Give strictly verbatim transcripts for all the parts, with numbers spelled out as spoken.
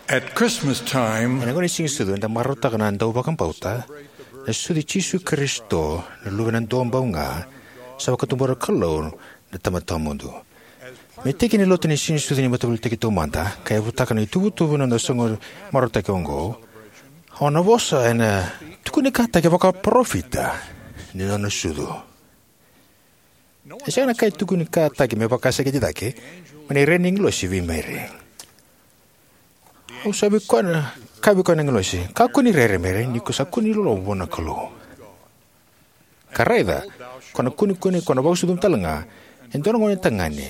At Christmas time, ena gauna ni Siganisucu, eda marautaka na dauvakabauta, na sucu i Jisu Karisito, na Luvena Duabau Ga, sa vakatubura na Kalou na Tamada Tawamudu. Me tiki ni lotu ni Siganisucu ni Mataveiliutaki Taumada, ka yavutaka na ituvatuva ni noda soqo marautaki oqo, au na vosa ena tukunikataki vakaparofita ni nona sucu. E sega na ka e tukunikataki me vakaseketi cake mai na rai ni agilosi vei Meri. Au sa vei koya na, kaya vei koya na agilosi, "Kakua ni rere, Meri, ni ko sa kune ni loloma vua na Kalou. Ka raica, ko na kunekune, ko na vakasucuma tale ga e dua na gone tagane,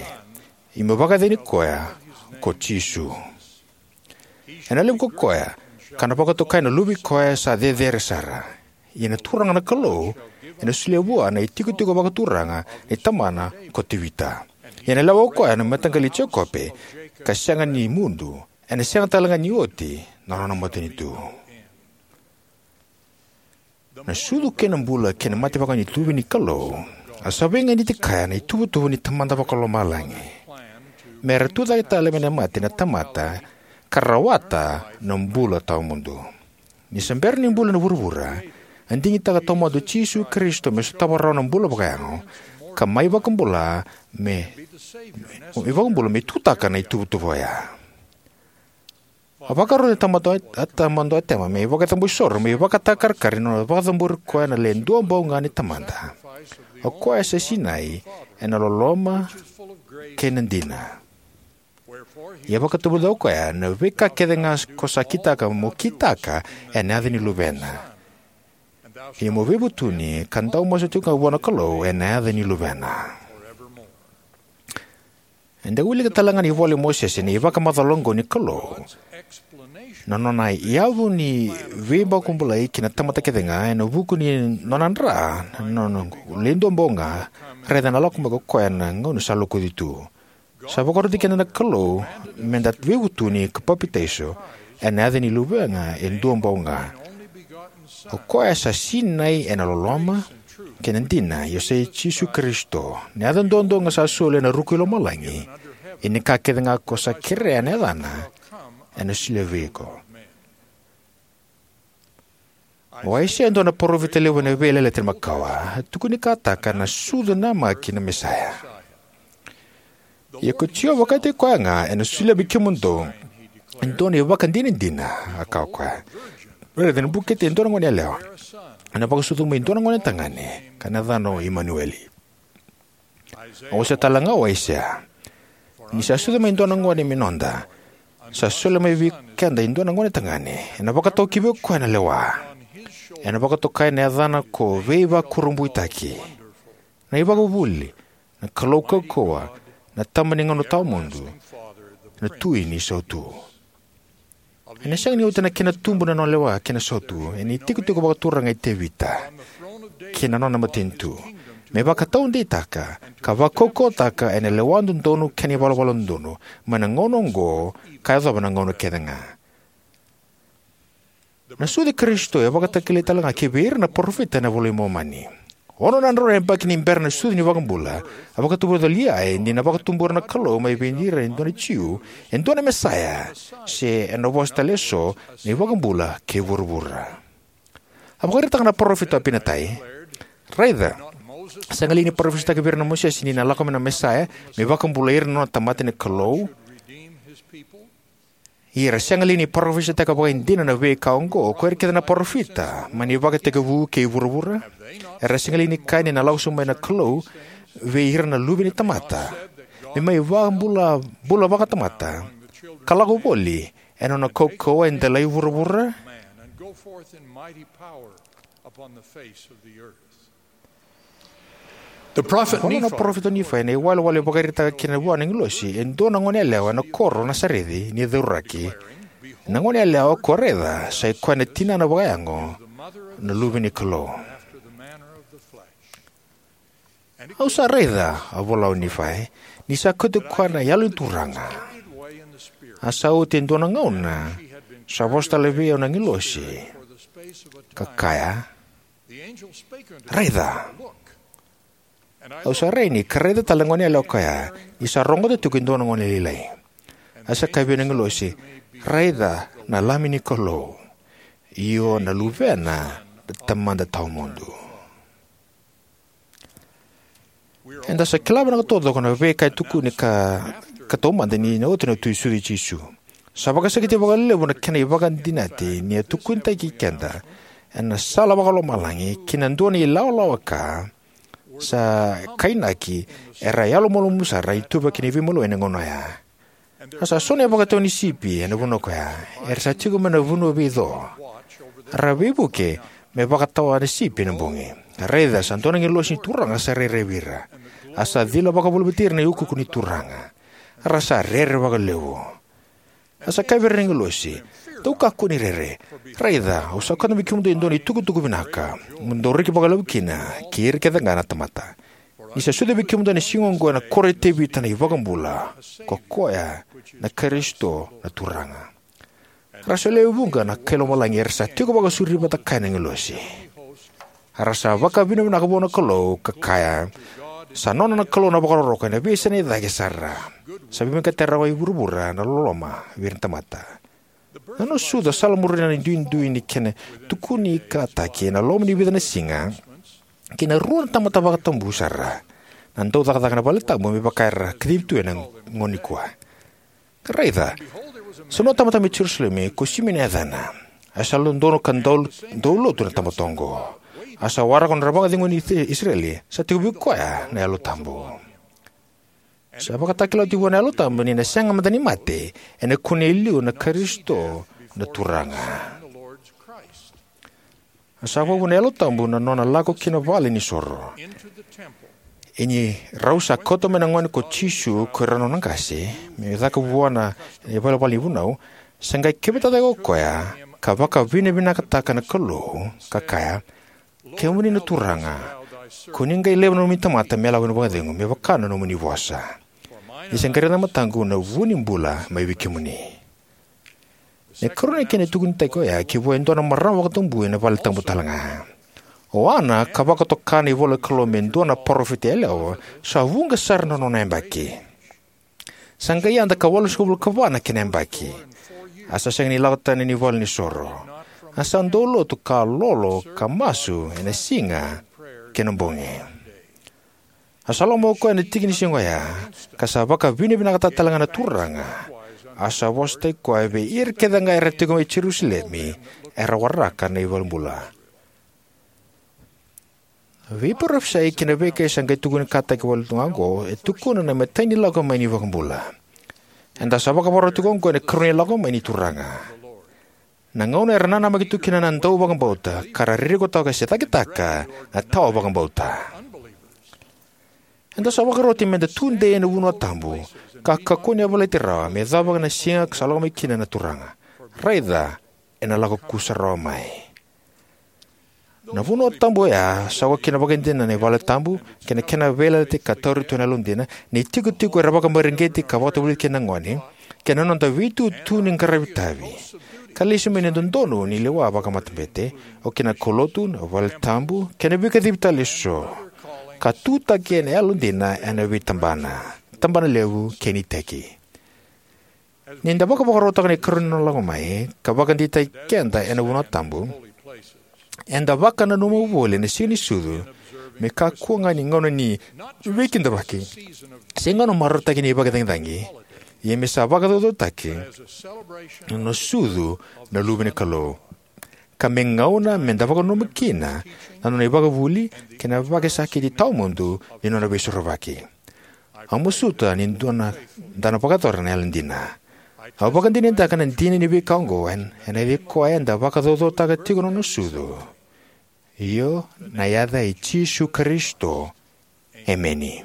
ia mo vakayacani koya ko Jisu. Ena levu ko koya, ka na vakatokai na luve i koya sa cecere sara. Ia na Turaga na Kalou ena solia vua na itikotiko vakaturaga ni tamana ko Tevita. Ia na lewa ko koya na mataqali i Jekope, ka sega ni mudu, ena sega tale ga ni oti na nona matanitu." Na sucu kei na bula kei na mate vakawainituvi ni Kalou, a sa veiganiti kaya na ituvatuva ni Tamada Vakalomalagi, me ra tucake tale mai na mate na tamata, ka rawata na bula tawamudu. Ni sa bera ni bula na vuravura, a digitaka taumada o Jisu Karisito me sotava rawa na bula vakayago, ka mai vakabula me, me vakabula me tutaka na ituvatuva oya. A vakaroti na tamata, a tamada o Atama me vakacabori soro, me vakatakarakara ni nona vakacabori koya na Le Duabau Ga ni Tamada. O koya sa sinai ena loloma kei na dina. Ia vakatavudaka o koya, na veika kece ga ko sa kitaka mo kitaka ena yaca ni Luvena. Ia mo veivutuni ka dau masu tiko ga vua na Kalou ena yaca ni Luvena. Eda wilika tale ga ni vola i Mosese na ivakamacala oqo ni Kalou, na nona yavu ni veivakabulai kei na tamata kece ga ena vuku ni nona dra na nona Le Duabau Ga, raica na lako mai ko koya na gauna sa lokuci tu. Sa vakaroti keda na Kalou meda veivutuni ka papitaiso ena yaca ni Luvena e Duabau Ga. O koya sa sinai ena loloma kei na dina, ia sa i Jisu Karisito. Na yaca duadua ga sa soli ena ruku i lomalagi, ia ni ka kece ga ko sa kerea ena yacana ena solia vei iko. O Aisea e dua na parofita levu ena Veiyalayalati Makawa, a tukunikataka na sucu namaki na Mesaia. Ia ko Jiova vakataki koya ga ena solia vei kemudou e dua na ivakadinadina, a kaya o koya. Raica, ena bukete e dua na gone yalewa, ena vakasucu mai e dua na gone tagane, ka na yacana o Imanueli. A wasea tale ga o Aisea, ni sa sucu mai e dua na gone me noda, sa soli mai vei keda e dua na gone tagane, ena vakatoka vei koya na lewa. Ena vakatokai na yacana ko Veivakurabuitaki, na iVakavuvuli, na Kalou Kaukauwa, na Tama ni Gauna Tawamudu, na Tui ni Sautu. Ena sega ni oti na kena tubu na nona lewa kei na sautu ena itikotiko vakaturaga i Tevita kei na nona matanitu, me vakataudeitaka ka vakaukauwataka ena lewa dodonu kei na ivalavala dodonu mai na gauna oqo ka yacova na gauna kece ga. Na sucu i Karisito e vakatakilai tale ga kivei ira na parofita ena iVola i Momani. Ono na drau na yabaki ni bera na sucu ni iVakabula, a vakatavuvuli o Liai ni na vakatubura na Kalou mai vei ira e dua na Jiu e dua na Mesaia, se ena vosa tale eso, na iVakabula kei vuravura. A vakaraitaka na parofita o Apinatai, "Raica, sega li ni parofisaitaki vei ira na Mosese ni na lako mai na Mesaia me vakabulai ira na nona tamata na Kalou? Ia era sega li ni parofisaitaka vakaidina na veika oqo ko ira kece na parofita mai na ivakatekivu kei vuravura? Era sega li ni kaya ni na lako sobu mai na Kalou vei ira na luve ni tamata, me mai vakabula, bula vakatamata, ka lako voli ena nona kaukauwa e delai vuravura?" Vua na parofita o Nifai ena iwalewale e vakaraitaka kina vua na agilosi e dua na gone yalewa ena koro o Nasareci ni cauraki. Na gone yalewa ko raica sa i koya na tinana vakayago, na Luve ni Kalou. "Au sa raica," a vola o Nifai, "ni sa kauti koya na Yalo ni Turaga. A sa oti e dua na gauna sa vosa tale vei au na agilosi ka kaya, 'Raica.' Au sa rai yani ka raica tale na gone yalewa ko ya, ni sa rogoca tiko e dua na gone lailai. A sa kaya vei au na agilosi, "Raica na Lami ni Kalou, io na Luvena na Tamada Tawamudu." Eda sa kila vinaka taucoko na veika e tukuni ka, ka taumada ni na oti na Tui Sucu i Jisu. Sa vakasakiti vakalevu na kena ivakadinati ni a tukunitaki keda ena sala vakalomalagi ki na dua na ilawalawa ka sa kainaki era yalomalumalumu sara, ituvaki ni veimaliwai ena gauna oya. A sa so na ivakatawa ni sipi ena vanua koya, era sa tiko mai na vanua veico, ra veivuke me vakatawa na sipi ena bogi. Raica, sa dua na agilosi ni Turaga sa rairai vei ira, a sa cila vakavolivoliti ira na iukuuku ni Turaga. Ra sa rere vakalevu. A sa kaya vei ira na agilosi, "Dou kakua ni rere. Raica, au sa kauta mai kemudou e dua na itukutuku vinaka, mo dou reki vakalevu kina kei ira kece ga na tamata. Ni sa sucu vei kemudou ena siga oqo ena koro i Tevita na iVakabula, ko koya na Karisito na Turaga." Ra sa lewe vuqa na kai lomalagi era sa tiko vakasauri vata kaya na agilosi. Ra sa vakavinavinaka vua na Kalou ka kaya, "Sa nona na Kalou na vakarokoroko ena veiyasana e cake sara. Sa veivinakati rawa e vuravura na loloma vei ira na tamata." Na nona sucu a salamuria na duidui ni kena tukunikataki ena loma ni vica na siga kei na rua na tamata vakatabu sara na daucakacaka ena valetabu, me vaka era kacivi tu ena gauna nikua. Raica, sa nua tamata mai Jerusalemi, ko Simioni na yacana. A sa dodonu ka dau, dau lotu na tamata oqo. A sa waraka nodra vakacegui na Isireli, sa tiko vei koya na Yalo Tabu. Sa vakatakila oti vua na Yalo Tabu ni na sega mada ni mate, ena kune e liu na Karisito na Turaga. A sa vakavuna na Yalo Tabu na nona lako ki na vale ni soro. Ia ni rau sa kauta mai na gone ko Jisu ko ira na nona qase me caka vua na ivalavala ni vunau, sa qai keveta cake o koya ka vakavinavinakataka na Kalou ka kaya, "Kemuni na Turaga, ko ni qai laiva na nomuni tamata me lako ena vakacegu me vaka na nomuni vosa. Ni sa qai raica na mataqu na vu ni bula mai vei kemuni." Na ikarua ni kena itukuni tiko oya ki vua e dua na marama vakatabui ena vale tabu talega. O Ana, ka vakatoka na ivola ni Kalou me dua na parofita yalewa, sa vuqa sara na nona yabaki. Sa qai yada ka walusagavulu ka va na kena yabaki. A sa sega ni lako tani ni vale ni soro. A sa dau lotu ka lolo ka masu ena siga kei na bogi. A sa lako mai o koya ena tiki ni siga oya, ka sa vakavinavinakataka talega na Turaga. A sa vosataki koya vei ira kece ga era tiko mai Jerusalemi, era waraka na iVakabula. Veiparofisai kei na veika e sa qai tukunikataki wale tu ga oqo e tukuna na imatai ni lako mai ni iVakabula. Eda sa vakavakarau tiko oqo ena ikarua ni lako mai ni Turaga. Na gauna era nanamaki tu kina na dauvakabauta, ka ra ririkotaka se cakitaka na tawa vakabauta. Eda sa vakaroti meda tudei ena vanua tabu, ka kakua ni yavalati rawa me yacova na siga ka sa lako mai kina na Turaga. Raica, ena lako kusarawa mai. Na vanua tabu oya sa oka kina vakaidina na vale tabu, kei na kena veiyalayalati ka tauri tu ena yalodina, na itikotiko era vakamareqeti ka vakatavulici kina na gone, kei na noda veitutu ni qaravi tavi. Ka lesu mai na dodonu ni lewa vakamatabete, oka kina na kaulotu, na vale tabu, kei na veikacivi tale eso. Ka tutaki ena yalodina ena veitabana, tabana levu kei na iteki. Ni da vakavakarautaka na ikarua ni nona lako mai, ka vakadeitaki keda ena vanua tabu, eda vakananuma voli ena Siga ni Sucu me kakua ga ni gauna ni veikidavaki se gauna marautaki ni veicagicagi, ia me sa vakacaucautaki na nona sucu na Luve ni Kalou, ka me gauna meda vakananuma kina na nona ivakavuvuli kei na vakasakiti tawamudu ni nona veisorovaki. Au masuta ni dua na, da na vakayacora na yalodina. Au vakadinadinataka na dina ni veika oqo ena, ena yaca i koya eda vakacaucautaka tiko na nona sucu. Io, na yaca i Jisu Karisito. Emeni.